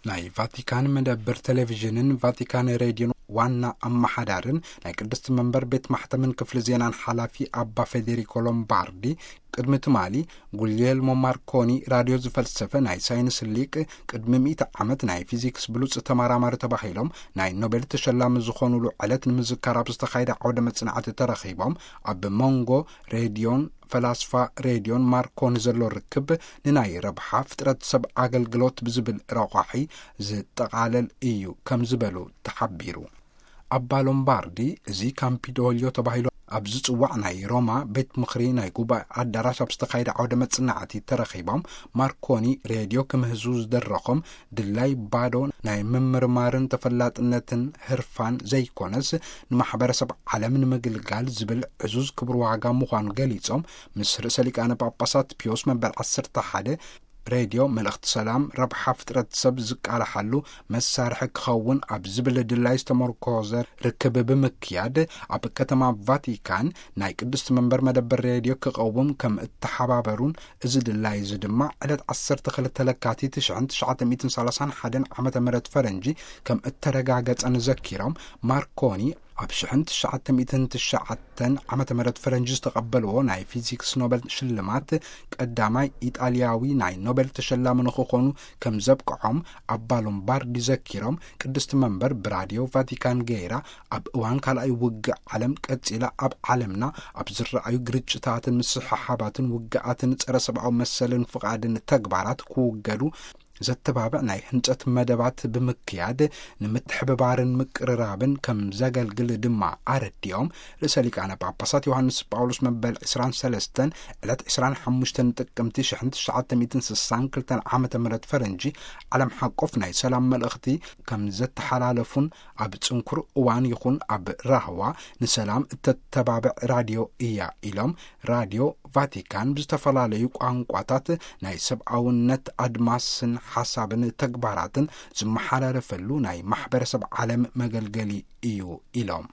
ናይ ቫቲካን መደብር ቴሌቪዥንን ቫቲካን ሬድዮን ዋና ኣመሓዳርን ናይ ቅድስቲ መንበር ቤት ማሕተምን ክፍሊ ዜናን ሓላፊ ኣባ ፌዴሪኮ ሎምባርዲ፣ ቅድሚ ትማሊ ጉልየልሞ ማርኮኒ ራድዮ ዝፈልሰፈ ናይ ሳይንስ ሊቅ፣ ቅድሚ ሚእቲ ዓመት ናይ ፊዚክስ ብሉጽ ተመራማሪ ተባሂሎም ናይ ኖቤል ተሸላሚ ዝኾኑሉ ዕለት ንምዝካር ኣብ ዝተኻየደ ዓውደ መጽናዕቲ ተረኺቦም፣ ኣብ መንጎ ሬድዮን ፈላስፋ ሬድዮን ማርኮኒ ዘሎ ርክብ ንናይ ረብሓ ፍጥረት ሰብ ኣገልግሎት ብዝብል ረቋሒ ዝጠቓለል እዩ ከም ዝበሉ ተሓቢሩ። ኣባ ሎምባርዲ፣ እዚ ካምፒዶልዮ ተባሂሉ ኣብ ዝጽዋዕ ናይ ሮማ ቤት ምኽሪ ናይ ጉባኤ ኣዳራሽ ኣብ ዝተኻየደ ዓውደ መጽናዕቲ ተረኺቦም፣ ማርኮኒ ሬድዮ ክምህዙ ዝደረኾም ድላይ ባዶ ናይ ምምርማርን ተፈላጥነትን ህርፋን ዘይኮነስ፣ ንማሕበረሰብ ዓለም ንምግልጋል ዝብል ዕዙዝ ክብር ዋጋ ምዃኑ ገሊጾም፣ ምስ ርእሰ ሊቃነ ጳጳሳት ፒዮስ መበል ዓሰርተ ሓደ ሬድዮ መልእኽቲ ሰላም፣ ረብሓ ፍጥረት ሰብ ዝቃላሓሉ መሳርሒ ክኸውን ኣብ ዝብል ድላይ ዝተመርኮዘ ርክብ ብምክያድ፣ ኣብ ከተማ ቫቲካን ናይ ቅድስቲ መንበር መደበር ሬድዮ ክቐውም ከም እተሓባበሩን፣ እዚ ድላይ እዚ ድማ ዕለት ዓሰርተ ክልተ ለካቲት ሽሕን ትሽዓተ ሚእትን ሰላሳን ሓደን ዓመተ ምህረት ፈረንጂ ከም እተረጋገጸን ዘኪሮም፣ ማርኮኒ ኣብ ሽሕን ትሽዓተ ሚእትን ትሽዓተን ዓመተ ምህረት ፈረንጂ ዝተቐበልዎ ናይ ፊዚክስ ኖበል ሽልማት ቀዳማይ ኢጣልያዊ ናይ ኖበል ተሸላሚ ንኽኾኑ ከም ዘብቅዖም ኣባ ሎምባርዲ ዘኪሮም፣ ቅድስቲ መንበር ብራድዮ ቫቲካን ገይራ ኣብ እዋን ካልኣይ ውግእ ዓለም ቀጺላ ኣብ ዓለምና ኣብ ዝረኣዩ ግርጭታትን ምስሕሓባትን ውግኣትን ጸረ ሰብኣዊ መሰልን ፍቓድን ተግባራት ክውገዱ ዘተባብዕ ናይ ህንጸት መደባት ብምክያድ፣ ንምትሕብባርን ምቅርራብን ከም ዘገልግል ድማ ኣረዲኦም። ርእሰ ሊቃነ ጳጳሳት ዮሃንስ ጳውሎስ መበል ዕስራን ሰለስተን ዕለት ዕስራን ሓሙሽተን ጥቅምቲ ሽሕን ትሽዓተ ሚእትን ስሳን ክልተን ዓመተ ምህረት ፈረንጂ ዓለም ሓቆፍ ናይ ሰላም መልእኽቲ ከም ዘተሓላለፉን፣ ኣብ ጽንኩር እዋን ይኹን ኣብ ራህዋ ንሰላም እተተባብዕ ራድዮ እያ ኢሎም። ራድዮ ቫቲካን ብዝተፈላለዩ ቋንቋታት ናይ ሰብኣውነት ኣድማስን ሓሳብን ተግባራትን ዝመሓላለፈሉ ናይ ማሕበረሰብ ዓለም መገልገሊ እዩ ኢሎም።